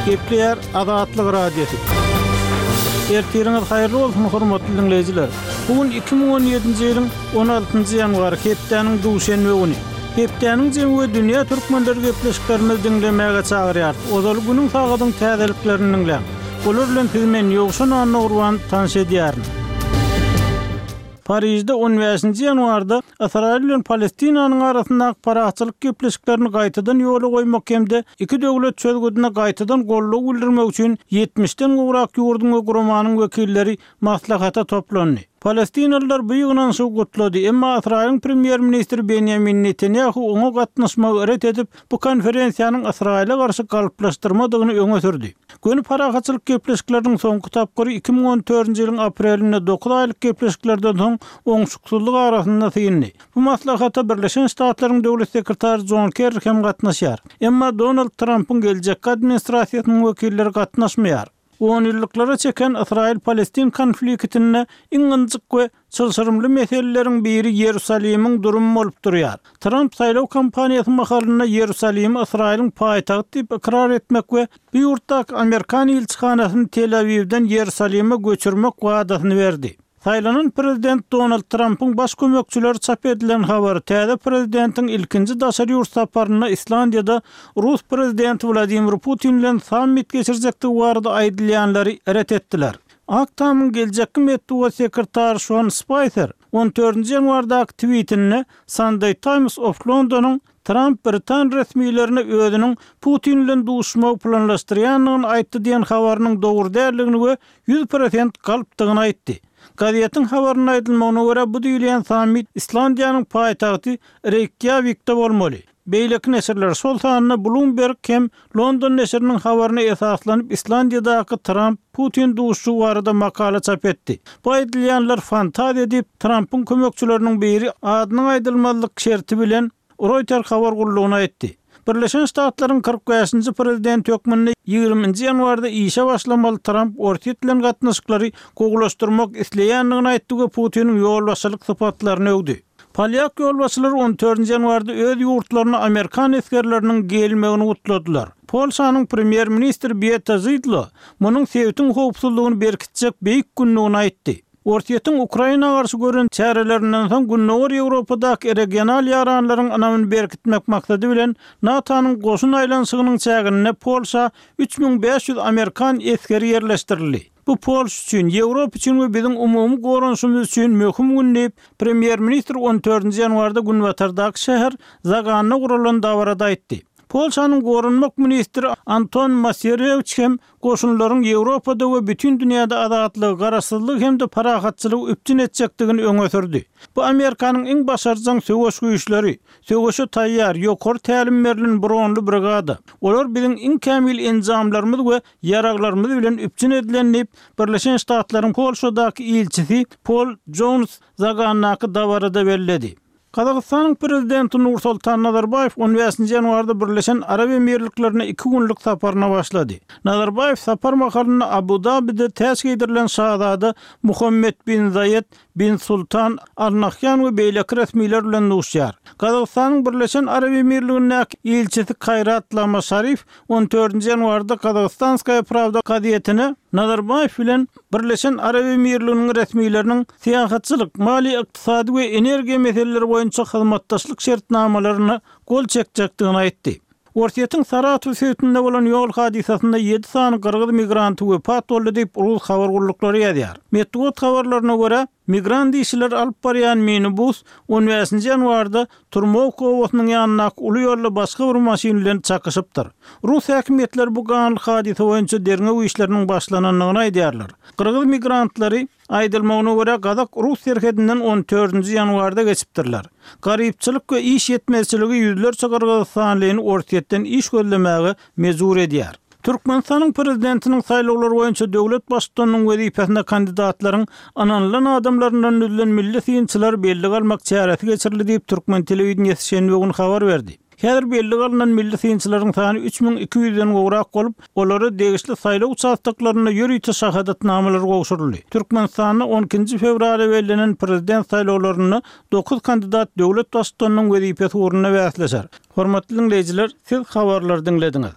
Gepleýär Azatlyk Radiosy. Ertiriňiz haýyrly bolsun, hormatly diňleýjiler! Bu gün 2017-nji ýylyň 16-njy ýanwary, hepdäniň duşenbe güni. Hepdäniň jemi we dünýä türkmenleri gepleşiklerimizi diňlemäge çagyrýarys. Ozaly günüň sagadyň täzeliklerini diňläň. Olar bilen sizi men, Ýowşan Annagurban, tanyş edýärin. Parižde on bäşinji ýanwarda Ysraýyl bilen Palestinanyň arasyndaky parahatçylyk gepleşiklerini gaýtadan ýola goýmak hem-de iki döwlet çözgüdine gaýtadan goldaw bildirmek üçin ýetmişden gowrak ýurduň we guramanyň wekilleri maslahata toplandy. Palestinalylar bu ýygnanyşygy gutlady, emma Ysraýylyň premýer-ministri Benýamin Netanýahu oňa gatnaşmagy ret edip, bu konferensiýanyň Ysraýyla garşy galplaşdyrmadygyny öňe sürdi. Göni parahatçylyk gepleşikleriniň soňky tapgyry 2014-nji ýylyň aprelinde dokuz aýlyk gepleşiklerden soň oňşuksyzlyk arasynda syndy. Bu maslahata Birleşen Ştatlaryň Döwlet sekretary Jon Kerri hem gatnaşýar. Emma Donald Trampyň geljekki administrasiýasynyň wekilleri gatnaşmaýar. Onýyllyklara çeken Ysraýyl-Palestin konfliktinde iň ynjyk we Çylşyrymly meseleleriň biri Ýerusalimiň durumy bolup durýar. Tramp saýlaw kampaniýasy mahalynda Ýerusalimi Ysraýylyň paýtagty diýip ykrar etmek we bu ýurtdaky amerikan ilçihanasyny Tel-Awiwden Ýerusalime göçürmek wadasyny berdi. Saýlanan prezident Donald Trampyň baş kömekçileri çap edilen habary täze prezidentiň ilkinji daşary ýurt saparynda Islandiýada rus prezidenti Wladimir Putin bilen sammit geçirjekdigi barada aýdylýanlary ret etdiler. Ak Tamyň geljekki metbugat sekretary Şon Spaýser on dördünji ýanwardaky twitinde Sunday Times of Londonyň Tramp britan resmilerine özüniň Putin bilen duşuşmagy planlaşdyrýandygyny aýtdy diýen habarynyň dogry däldigini we 100% galpdygyny aýtdy. Gazetiň habarynda aýdylmagyna görä, bu diýilýän sammit Islandiýanyň paýtagty Reýkýawikde bolmaly. Beýleki neşirler, şol sanda Bloomberg hem London neşiriniň habaryna esaslanyp Islandiýadaky Tramp, Putin duşuşygy barada makala çap etdi. Bu aýdylýanlar fantaziýa diýip, Trampyň kömekçileriniň biri adynyň aýdylmazlyk şerti bilen Roýter habar gullugyna aýtdy. Birleşen Ştatlaryň 45-nji prezidenti hökmünde 20-nji ýanwarda işe başlamaly Tramp Orsýet bilen gatnaşyklary gowulaşdyrmak isleýändigini aýtdy we Putiniň ýolbaşçylyk sypatlaryny öwdi. Polýak ýolbaşçylary on dördünji ýanwarda öz ýurtlaryna amerikan esgerleriniň gelmegini gutladylar. Polşanyň premýer-ministri Beata Zydlo munuň sebitiň howpsuzlygyny berkitjek beýik gündügini aýtdy. Orsýetiň Ukraina garşy gören çärelerinden soň Gündogar Ýewropadaky regional ýaranlaryň ynamyny berkitmek maksady bilen NATO-nyň goşun aýlanyşygynyň çäginde Polşa 3500 amerikan esgeri ýerleşdirildi. Bu Polşa üçin, Ýewropa üçin we biziň umumy goranyşymyz üçin möhüm gün diýip, premýer-ministr on dördünji ýanwarda günbatardaky şäher Zaganda guralan dabarada aýtdy. Polşanyň goranmak ministri Anton Maserewiç hem goşunlaryň Ýewropada we bütin dünýäde azatlygy, garaşsyzlygy hem-de parahatçylygy üpjün etjekdigini öňe sürdi. Bu Amerikanyň iň başarjaň söweş güýçleri, söweşe taýýar, ýokary tälim berlen bronly brigada. Olar biziň iň kämil enjamlarymyz we ýaraglarymyz bilen üpjün edilen diýip, Birleşen Ştatlaryň Polşadaky ilçisi Pol Jons Zagandaky dabarada belledi. Gazagystanyň Prezidenti Nursultan Nazarbaýew on bäşinji ýanwarda Birleşen Arap Emirliklerine iki günlük saparyna başlady. Nazarbaýew sapar mahalynda Abu-Dabide täç geýdirilen şazada Muhammed bin Zaýed bin Sultan Al Nahýan we beýleki resmiler bilen duşýar. Gazagystanyň Birleşen Arap Emirligindäki ilçisi Kaýrat Lama Şarif on dördünji ýanwarda Kazagystanskaýa Prawda gazetine Nazarbaýew bilen Birleşen Arap Emirliginiň resmileriniň syýahatçylyk, maliýe-ykdysady we energiýa meseleleri boýunça hyzmatdaşlyk şertnamalaryna gol çekjekdigini aýtdy. Orsýetiň Saratow sebitinde bolan ýol hadysasynda ýedi sany gyrgyz migranty wepat boldy diýip, rus habar gulluklary ýazýar. Metbugat habarlaryna görä, migrant işçileri alyp barýan minibus on bäşinji ýanwarda Turmowka obasynyň ýanyndaky uly ýolda başga bir maşyn bilen çakyşypdyr. Rus häkimiýetleri bu ganly hadysa boýunça derňew işleriniň başlanandygyny aýdýarlar. Gyrgyz migrantlary Aýdylmagyna görä, gazak-rus serhedinden on dördünji ýanwarda geçipdirler. Garypçylyk we iş ýetmezçiligi ýüzlerçe gyrgyzystanlyny Orsýetden iş gözlemäge mejbur edýär. Türkmenistanyň Prezidentiniň saýlawlary boýunça döwlet Baştutanynyň wezipesine kandidatlaryň ynanylan adamlaryndan düzülen milli synçylar bellige almak çäresi geçirildi diýip, türkmen telewideniýesi şenbe güni habar berdi. Häzir bellige alnan milli synçylaryň sany 3200-den gowrak bolup, olara degişli saýlaw uçastoklarynda ýörite şahadatnamalar gowşuryldy. Türkmenistanda on ikinji fewralda bellenen prezident saýlawlarynda dokuz kandidat döwlet baştutanynyň wezipesi ugrunda bäsleşer. Hormatly diňleýjiler, siz habarlary diňlediňiz.